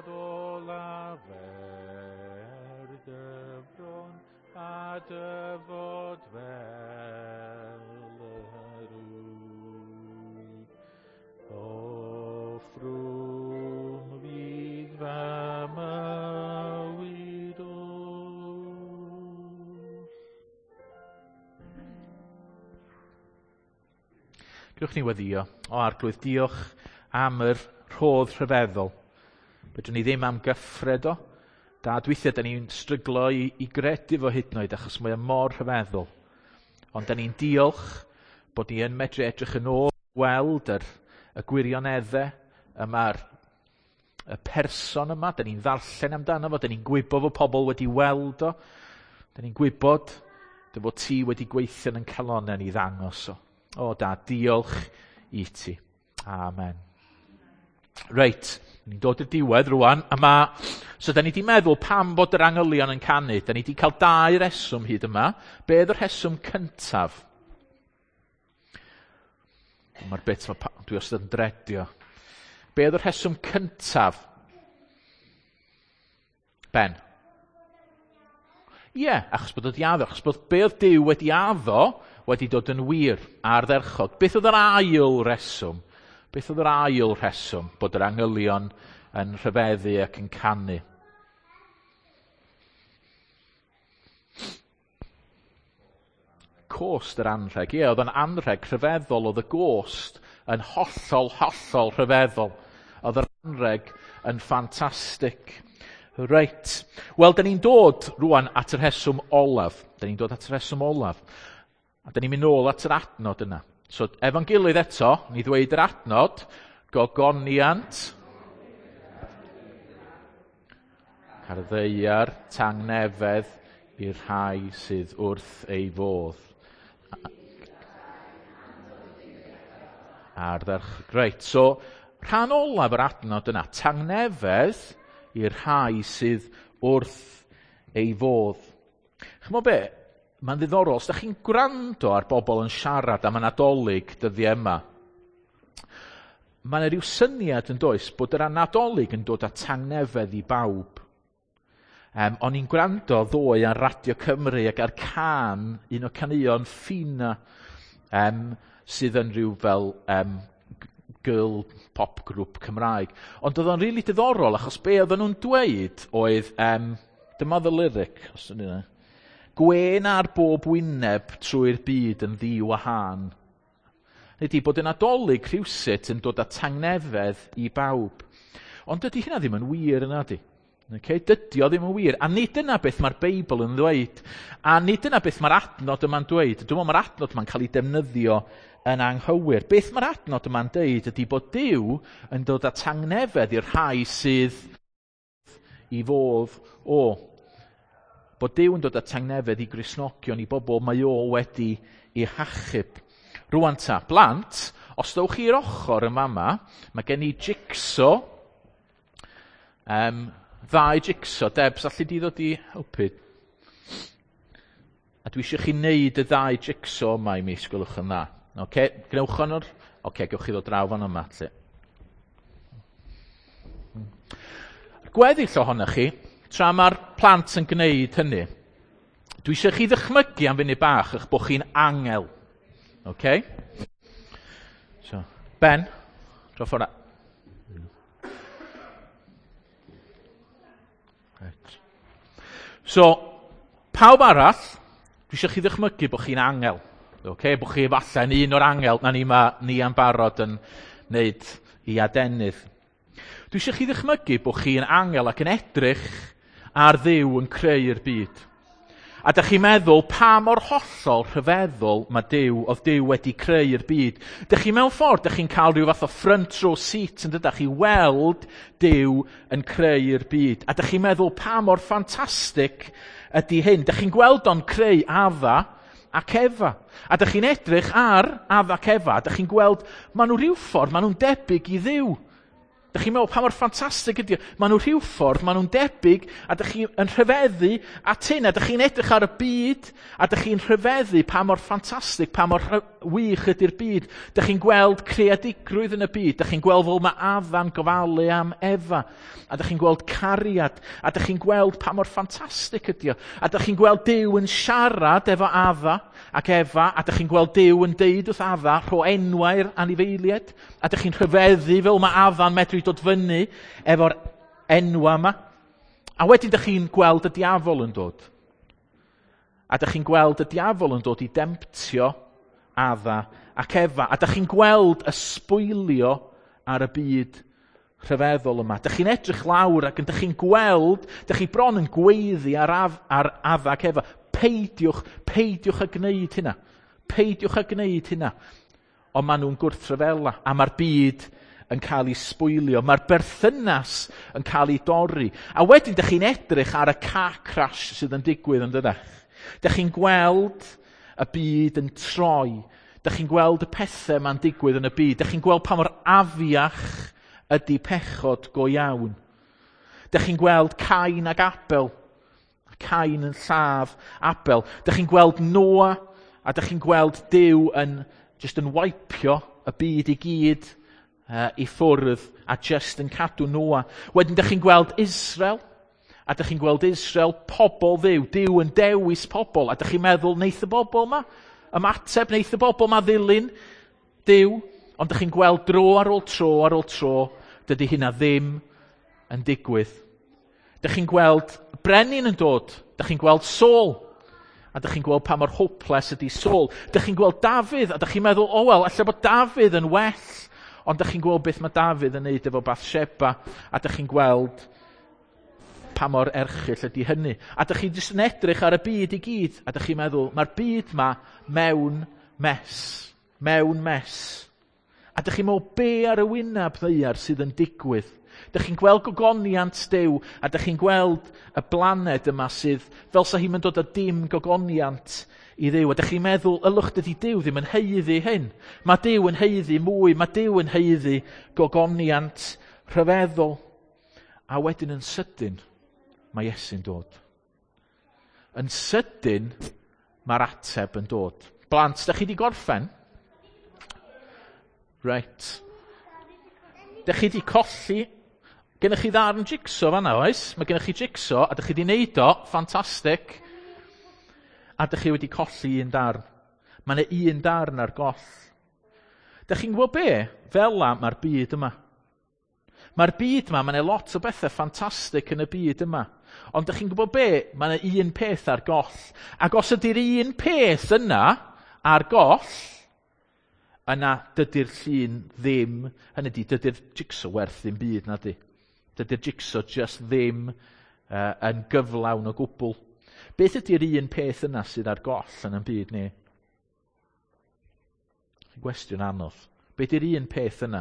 ddolaf er dy fron, a dyfod fel yr wyf. Offrwm fydd fy mywyd oll. Gewch ni weddio. O Arglwydd, diolch am yr rhodd rhyfeddol. Fedrwn ni ddim am gyffred o. Dad, weithiau da ni'n stryglo i gredu fo hyd yn oed, achos mae o mor rhyfeddol. Ond da ni'n diolch bod ni yn medru edrych yn ôl, gweld y gwirioneddau yma'r y person yma. Da ni'n ddarllen amdano fo, da ni'n gwybod fod pobl wedi weld o. Da ni'n gwybod dy fod ti wedi gweithio yn calonau ni ddangos o. O Dad, diolch i ti. Amen. Reit, ni'n dod i'r diwedd rwan. So da ni di meddwl pam bod yr angylion yn canu. Da ni di cael dau reswm hyd yma. Be oedd y rheswm cyntaf? Mae'r bit ma dwi wastad yn dredio. Be oedd y rheswm cyntaf? Ben? Ie, achos bod o 'di addo, achos bod be oedd Duw wedi addo wedi dod yn wir ardderchog. Beth oedd yr ail reswm? Beth oedd yr ail rheswm bod yr angylion yn rhyfeddu ac yn canu? Cost yr anrheg. Ie, oedd yn anrheg rhyfeddol, oedd y gost yn hollol, hollol rhyfeddol. Oedd yr anrheg yn ffantastig. Reit. Wel, da ni'n dod rwan at y rheswm olaf. Da ni'n dod at y rheswm olaf. A da ni'n mynd nôl at yr adnod yna. So, efo'n gilydd eto, ni ddweud yr adnod, gogoniant, ar ddaear, tangnefedd i'r rhai sydd wrth ei fodd. Ardderchog. Reit, so rhan olaf yr adnod yna, tangnefedd i'r rhai sydd wrth ei fodd. Ch'mo' be? Mae'n ddiddorol, os da chi'n gwrando ar bobl yn siarad am y Nadolig dyddiau yma, mae yna rhyw syniad yn does bod yr Nadolig yn dod â tangnefedd i bawb. O'n i'n gwrando ddoe ar Radio Cymru ac ar can, un o caneuon Ffina, sydd yn rhyw fel girl pop group Cymraeg. Ond oedd o'n rili diddorol, achos be oedden nhw'n dweud oedd, dyma the lyric, os ydyn nhw, gwên ar bob wyneb trwy'r byd yn ddiwahân. Ydy bod y Nadolig rhywsut yn dod â tangnefedd i bawb. Ond dydy hynna ddim yn wir yna, di. Okay? Dydy o ddim yn wir. A nid dyna beth mae'r Beibl yn ddweud. A nid dyna beth mae'r adnod yma'n dweud. Dwi'n meddwl mae'r adnod yma'n cael ei defnyddio yn anghywir. Beth mae'r adnod yma'n dweud ydy bod Duw yn dod â tangnefedd i'r rhai sydd i fodd o. Bod Duw yn dod â tangnefedd i Gristnogion, i bobl mae o wedi ei hachub. Rwan ta, blant, os dowch chi'r ochr yn fama, mae gen i jigsaw. Ddau jigsaw. Debs, allu di ddod i helpu? A dwi eisiau chi wneud y ddau jigsaw yma i mi, sgwelwch yn dda. Oce, gnewch o'n o'r... Oce, gewch chi ddod draw fan yma, lle. Gweddill ohonoch chi, tra mae'r plant yn gwneud hynny, dwi eisiau chi ddychmygu am funud bach eich bod chi'n angel. Oce? So, Ben, dro ffordd. Right. So, pawb arall, dwi eisiau chi ddychmygu bod chi'n angel. Okay? Bod chi efallai yn un o'r angel na ni ma, ni am barod yn wneud i adenydd. Dwi eisiau chi ddychmygu bod chi'n angel ac yn edrych ar Dduw yn creu'r byd. A dych chi'n meddwl pa mor hollol rhyfeddol mae Duw, oedd Duw wedi creu'r byd. Dych chi mewn ffordd, dych chi'n cael rhyw fath o front row seat yn dydych chi weld Duw yn creu'r byd. A dych chi'n meddwl pa mor ffantastig ydy hyn. Dych chi'n gweld o'n creu Adda ac Efa. A dych chi'n edrych ar Adda ac Efa, a dych chi'n gweld maen nhw rhyw ffordd, maen nhw'n debyg i Dduw. Dych chi'n meddwl pa mor ffantastig ydy o? Maen nhw rhyw ffordd, maen nhw'n debyg, a dych chi'n rhyfeddu at hyn, a dych chi'n edrych ar y byd, a dych chi'n rhyfeddu pa mor ffantastig, pa mor wych ydy'r byd. Dych chi'n gweld creadigrwydd yn y byd, dych chi'n gweld fel mae Adda'n gofalu am Efa, a dych chi'n gweld cariad, a dych chi'n gweld pa mor ffantastig ydy o, a dych chi'n gweld Duw yn siarad efo Adda ac Efa, a dych chi'n gweld Duw yn deud wrth Adda, rho enwau'r anifeiliaid, a dych chi'n rhyfeddu fel mae Adda'n medru dod fyny efo'r enwa yma. A wedyn dych chi'n gweld y diafol yn dod. A dych chi'n gweld y diafol yn dod i demtio Adda ac Efa. A dych chi'n gweld y sbwylio ar y byd rhyfeddol yma. Dych chi'n edrych lawr ac yn dych chi'n gweld, dych chi bron yn gweiddi ar, ar Adda ac Efa. Peidiwch, peidiwch â gwneud hynna. Peidiwch â gwneud hynna. Ond maen nhw'n gwrthryfela, a mae'r byd yn cael ei sbwylio. Mae'r berthynas yn cael ei dorri. A wedyn dych chi'n edrych ar y car crash sydd yn digwydd yn dydach. Dych chi'n gweld y byd yn troi. Dych chi'n gweld y pethau ma'n digwydd yn y byd. Dych chi'n gweld pa mor afiach ydy pechod go iawn. Dych chi'n gweld Cain ac Abel. Cain yn lladd Abel. Dych chi'n gweld Noah, a dych chi'n gweld Duw yn just yn waipio y byd i gyd i ffwrdd a just yn cadw Noah. Wedyn dych chi'n gweld Israel, a dych chi'n gweld Israel, pobl Dduw, Duw yn dewis pobl, a dych chi'n meddwl, neith y bobl ma ymateb, neith y bobl ma ddilyn Duw, ond dych chi'n gweld dro ar ôl tro ar ôl tro, dydy hynna ddim yn digwydd. Dych chi'n gweld brenin yn dod, dych chi'n gweld Saul, a dych chi'n gweld pa mor hopeless ydy Saul. Dych chi'n gweld Dafydd, a dych chi'n meddwl, o wel, ella bod Dafydd yn well, ond dych chi'n gweld beth mae Dafydd yn neud efo Bathsheba, a dych chi'n gweld pa mor erchyll ydy hynny. A dych chi'n jyst yn edrych ar y byd i gyd, a dych chi'n meddwl, mae'r byd ma mewn mess, mewn mess. A dych chi'n meddwl, be ar y wyneb ddaear sydd yn digwydd? Dych chi'n gweld gogoniant Duw, a dych chi'n gweld y blaned yma sydd fel sa hi'n dod â dim gogoniant i Dduw. A dych chi'n meddwl, ylwch, dydy Duw ddim yn haeddu hyn. Mae Duw yn haeddu mwy, mae Duw yn haeddu gogoniant rhyfeddol. A wedyn yn sydyn, mae Iesu'n dod. Yn sydyn, mae'r ateb yn dod. Blant, dych chi di gorffen? Reit. Dych chi di colli... Gennych chi ddarn jigsaw fan'na, oes? Mae gennych chi jigsaw, a dych chi di neud o, ffantastig. A dych chi wedi colli un darn. Mae yna un darn ar goll. Dych chi'n gwybod be? Fel la mae'r byd yma. Mae'r byd yma, mae yna lot o bethau ffantastig yn y byd yma. Ond dych chi'n gwybod be? Mae yna un peth ar goll. Ac os ydy'r un peth yna ar goll, yna dydy'r llun ddim, hynny ydy, dydy'r jigsaw werth ddim byd, na di. Dydy'r jigsaw just ddim yn gyflawn o gwbl. Beth ydy'r un peth yna sydd ar goll yn y byd ni? Gwestiwn anodd. Beth ydy'r un peth yna?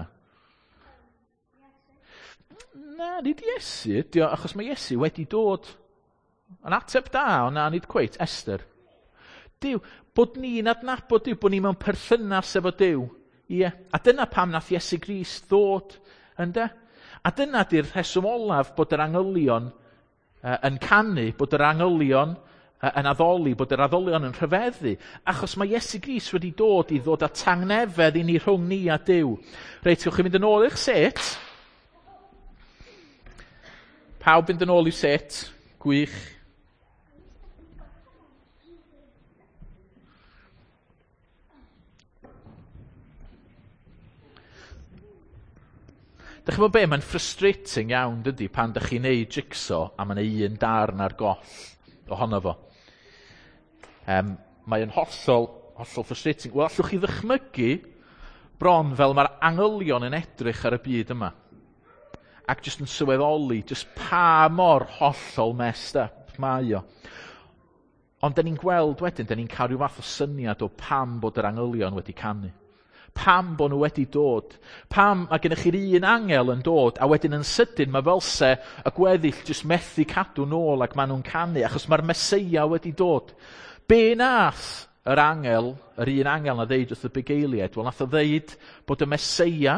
Na, nid Iesu ydy o, achos mae Iesu wedi dod. Yn ateb da, ond na, nid cweit, Esther. Duw, bod ni'n adnabod Duw, bod ni mewn perthynas efo Duw. Ie, a dyna pam nath Iesu Grist ddod, ynde? A dyna di'r rheswm olaf bod yr angylion yn canu, bod yr angylion yn addoli, bod yr addolion yn rhyfeddu, achos mae Iesu Grist wedi dod i ddod â tangnefedd i ni rhwng ni a Duw. Reit, gewch chi fynd yn ôl i'ch set. Pawb fynd yn ôl i'w set. Gwych. Dych chi'n gwybod be, mae'n frustrating iawn, dydy, pan dych chi'n neud jigsaw a mae'n un darn ar goll ohono fo. Mae'n hollol, hollol frustrating. Wel, allwch chi ddychmygu bron fel mae'r angylion yn edrych ar y byd yma. Ac jyst yn sylweddoli jyst pa mor hollol messed up mae o. Ond da ni'n gweld wedyn, da ni'n cael rhyw fath o syniad o pam bod yr angylion wedi canu. Pam bod nhw wedi dod. Pam mae gennych chi'r un angel yn dod, a wedyn yn sydyn mae fel se y gweddill jyst methu cadw nôl ac maen nhw'n canu, achos mae'r Meseia wedi dod. Be nath yr angel, yr un angel na ddeud wrth y bugeiliaid? Wel, nath o ddeud bod y Meseia,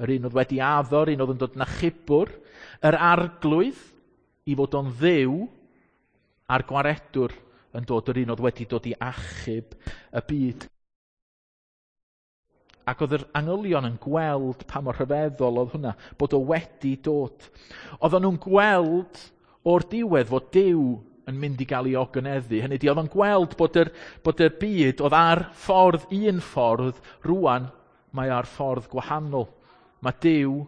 yr un oedd wedi addo, yr un oedd yn dod yn achubwr, yr arglwydd i fod o'n Dduw, a'r gwaredwr yn dod, yr un oedd wedi dod i achub y byd. Ac oedd yr angylion yn gweld pa mor rhyfeddol oedd hwnna, bod o wedi dod. Oedden nhw'n gweld o'r diwedd fod Duw yn mynd i gael ei ogoneddu. Hynny ydi, oedd o'n gweld bod yr byd oedd ar ffordd un ffordd, rwan mae ar ffordd gwahanol. Mae Duw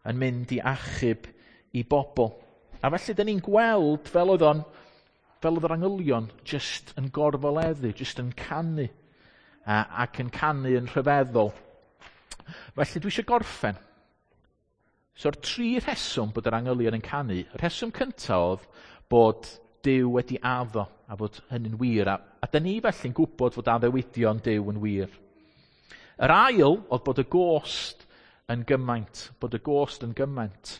yn mynd i achub i bobl. A felly, dyn ni'n gweld fel oedd o'n, fel oedd yr angylion jyst yn gorfoleddu, jyst yn canu, ac yn canu yn rhyfeddol. Felly dwi eisiau gorffen. So'r tri rheswm bod yr angylion yn canu, y rheswm cyntaf oedd bod Duw wedi addo a bod hynny'n wir. A dyn ni felly'n gwybod fod addewidion Duw yn wir. Yr ail oedd bod y gost yn gymaint, bod y gost yn gymaint.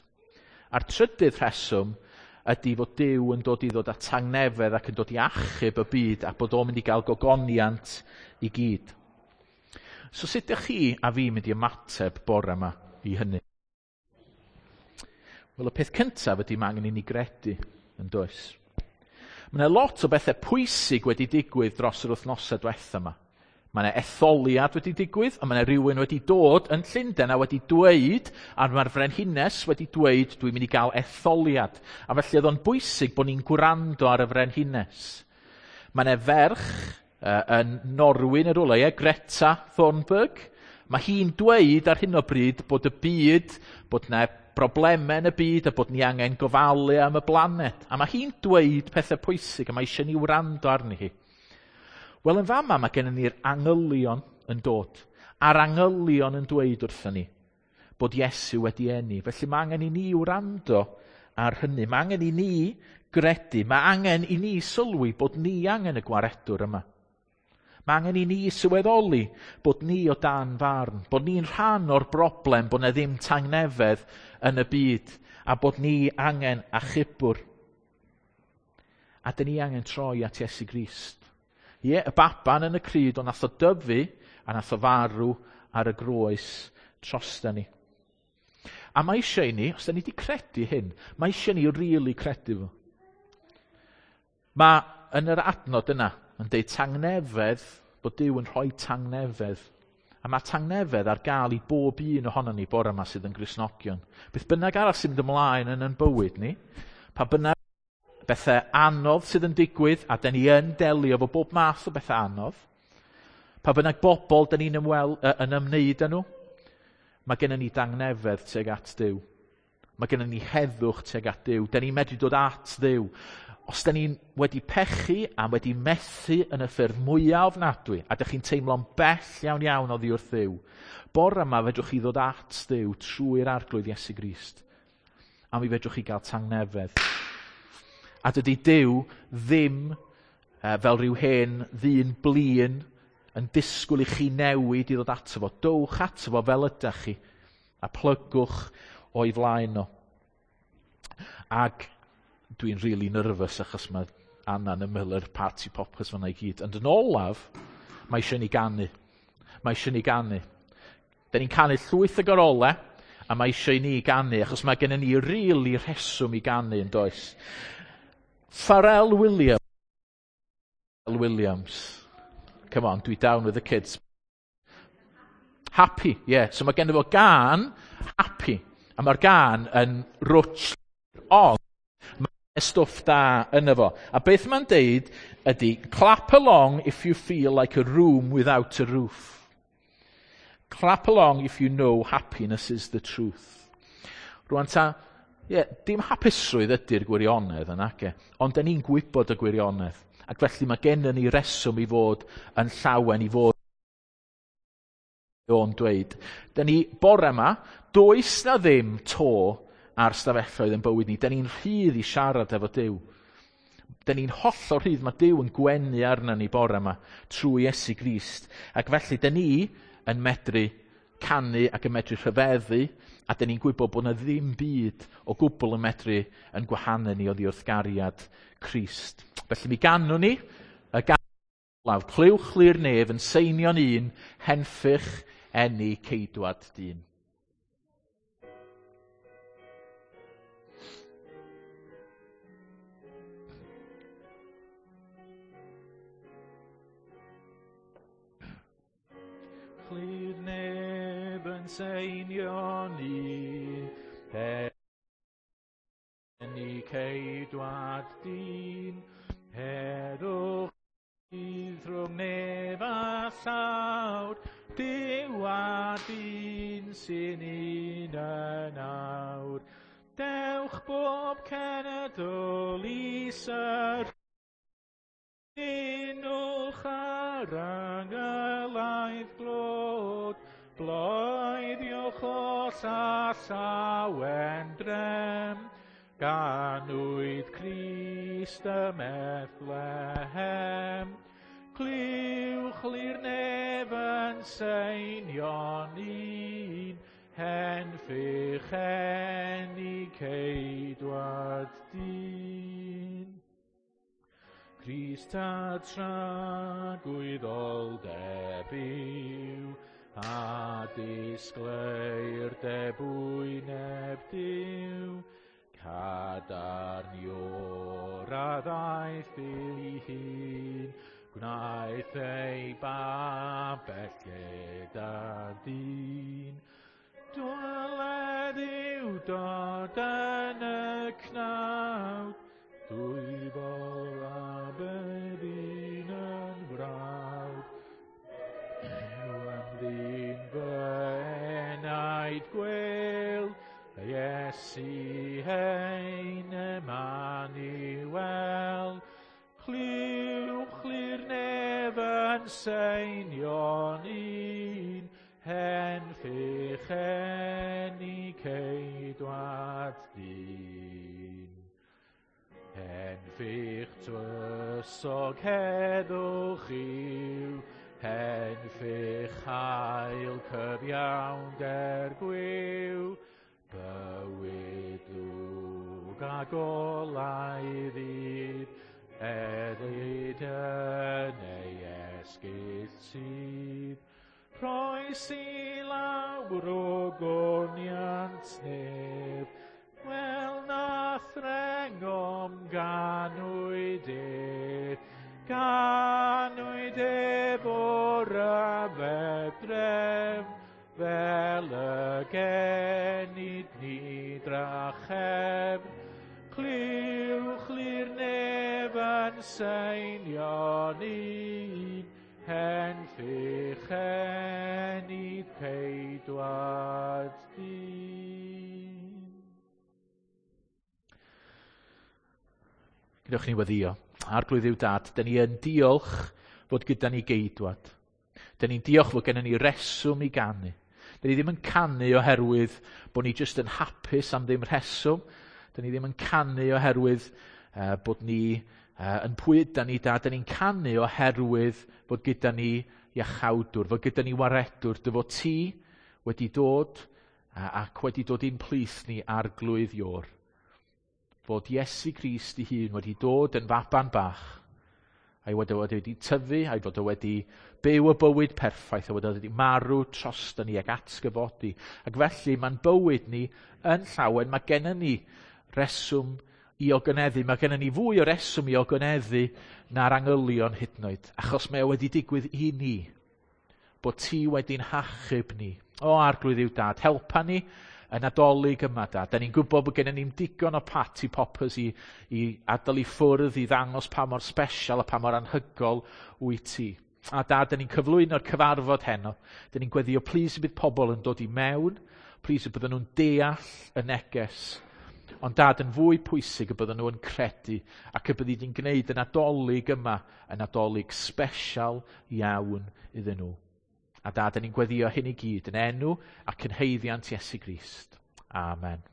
A'r trydydd rheswm ydy fod Duw yn dod i ddod â tangnefedd ac yn dod i achub y byd a bod o'n mynd i gael gogoniant i gyd. So sut ydych chi a fi mynd i ymateb bore yma i hynny? Wel, y peth cyntaf ydy mae angen i ni gredu, yn does? Mae yna lot o bethau pwysig wedi digwydd dros yr wythnosau diwetha yma. Mae yna etholiad wedi digwydd, a mae yna rhywun wedi dod yn Llundain a wedi dweud, a mae'r frenhines wedi dweud, dwi'n mynd i gael etholiad. A felly oedd o'n bwysig bod ni'n gwrando ar y frenhines. Mae yna ferch yn Norwy neu rywle, ie, Greta Thunberg. Mae hi'n dweud ar hyn o bryd bod y byd, bod yna broblemau yn y byd a bod ni angen gofalu am y blaned. A mae hi'n dweud pethau pwysig a mae eisiau ni wrando arni hi. Wel, yn fama mae gennym ni'r angylion yn dod, a'r angylion yn dweud wrthon ni bod Iesu wedi eni. Felly mae angen i ni wrando ar hynny. Mae angen i ni gredu. Mae angen i ni sylwi bod ni angen y gwaredwr yma. Mae angen i ni sylweddoli bod ni o dan farn, bod ni'n rhan o'r broblem, bod na ddim tangnefedd yn y byd, a bod ni angen achubwr. A dyn ni angen troi at Iesu Grist. Ie, y baban yn y crud, ond nath o dyfu a nath o farw ar y groes drosta ni. A mae eisiau i ni, os da ni wedi credu hyn, mae eisiau ni rili credu fo. Mae yn yr adnod yna, yn deud tangnefedd, bod Duw yn rhoi tangnefedd. A mae tangnefedd ar gael i bob un ohonon ni bore yma sydd yn Gristnogion. Beth bynnag arall sy'n mynd ymlaen yn ein bywyd ni, pa bynnag bethau anodd sydd yn digwydd, a da ni yn delio efo bob math o bethau anodd, pa bynnag bobl da ni'n yn ymwneud â nhw, mae gennym ni dangnefedd tuag at Duw. Mae gennym ni heddwch tuag at Duw. Da ni'n medru dod at Dduw. Os da ni'n wedi pechu a wedi methu yn y ffyrdd mwyaf ofnadwy, a da chi'n teimlo'n bell iawn iawn oddi wrth Dduw, bore yma fedrwch chi ddod at Dduw trwy'r Arglwydd Iesu Grist. A mi fedrwch chi gael tangnefedd. A dydy Duw ddim fel rhyw hen ddyn blin yn disgwyl i chi newid i ddod ato fo. Dowch ato fo fel ydach chi a plygwch o'i flaen o. Ac dwi'n really nervous achos mae Anna'n ymyl yr party poppers fan'na i gyd. Ond yn olaf, mae eisiau ni ganu. Mae eisiau ni ganu. Da ni'n canu llwyth o gorolau, A mae eisiau i ni ganu, achos mae gennym ni rili rheswm i ganu yn does. Pharrell Williams. Williams. Come on, dwi down with the kids. Happy, yeah. So mae gennym fo gân Happy. A mae'r gân yn rwtsh, ond mae stwff da yno fo. A beth mae'n deud ydy, clap along if you feel like a room without a roof. Clap along if you know happiness is the truth. Rwan ta, yeah, dim hapusrwydd ydy'r gwirionedd yna, ge, ond da ni'n gwybod y gwirionedd. Ac felly mae gennym ni reswm i fod yn llawen, i fod o'n dweud. Da ni bore yma, does na ddim to ar stafelloedd yn bywyd ni. Da ni'n rhydd i siarad efo Duw. Da ni'n hollol rhydd. Mae Duw yn gwenu arna ni bore yma trwy Iesu Grist. Ac felly, da ni yn medru canu ac yn medru rhyfeddu, a da ni'n gwybod bod na ddim byd o gwbl yn medru yn gwahanu ni oddi wrth gariad Crist. Felly mi ganwn ni y gân olaf, clywch chli'r nef yn seinio'n un, henffych eni ceidwad dyn. Chli'r neb yn seinio'n un, eni ceidwad dyn, heddwch bydd rhwng nef a llawr, Duw a dyn sy'n un yn awr. Dewch bob cenedl i syrunwch ar angylaidd glod, bloeddiwch oll a llawen drem, ganwyd Crist ym Methlehem. Clywch li'r nef yn seinio'n un, henffych eni ceidwad dyn. Crist a tragwyddoldeb yw, a disgleirdeb wyneb Duw, cadarn Ior a ddaeth ei hun, gwnaeth ei babell gyda dyn. Dwyled yw dod yn y cnawd, dwyfol a byddin yn frawd. Yw yn ddyn fy enaid gwel, Iesu ein Emmanuel. Clywch li'r nef yn seinio'n un, henffych eni ceidwad dyn. Henffych twysog heddwch yw, henffych hael cyfiawnder gwiw, bywyd lwg a golau ddydd, edlyd yn ei esgyll sydd. Rhoes i lawr o goniant nef, wel na threngom ganwyd ef, ganwyd ef o'r ryfedd drefn, fel y genid ni drachefn. Clywch li'r nef yn seinio'n un, henffych enid ceidwad dyn. Gadewch ni weddïo. Arglwydd yw dad, dyn ni yn diolch fod gyda ni geidwad. Dyn ni'n diolch fod gennym ni reswm i ganu. Dyn ni ddim yn canu oherwydd bod ni jyst yn hapus am ddim rheswm. Dyn ni ddim yn canu oherwydd bod ni yn pwy ydan ni da. Dyn ni'n canu oherwydd fod gyda ni iachawdwr, fod gyda ni waredwr, dy fod ti wedi dod ac wedi dod i'n plith ni Arglwydd Ior. Fod Iesu Grist ei hun wedi dod yn faban bach A'i fod o wedi tyfu, a'i fod o wedi byw y bywyd perffaith, a wedi marw drosto ni ac atgyfodi. Ac felly mae'n bywyd ni yn llawen, mae gennym ni reswm i ogoneddu. Mae gennym ni fwy o reswm i ogoneddu na'r angylion hyd yn oed, achos mae o wedi digwydd i ni, bod ti wedi'n hachub ni. O Arglwydd yw Dad, helpa ni y Nadolig yma, Dad. Da ni'n gwybod bod gennym ni'n digon o party poppers i adael i ffwrdd i ddangos pa mor special a pa mor anhygol wyt ti. A Dad, da ni'n cyflwyno'r cyfarfod heno. Da ni'n gweddio, plis y bydd pobl yn dod i mewn, plis y bydden nhw'n deall y neges. Ond Dad, yn fwy pwysig y bydden nhw yn credu ac y byddi di'n gwneud y Nadolig yma yn Nadolig special iawn iddyn nhw. A Dad, ni'n gweddio hyn i gyd yn enw ac yn haeddiant Iesu Grist. Amen.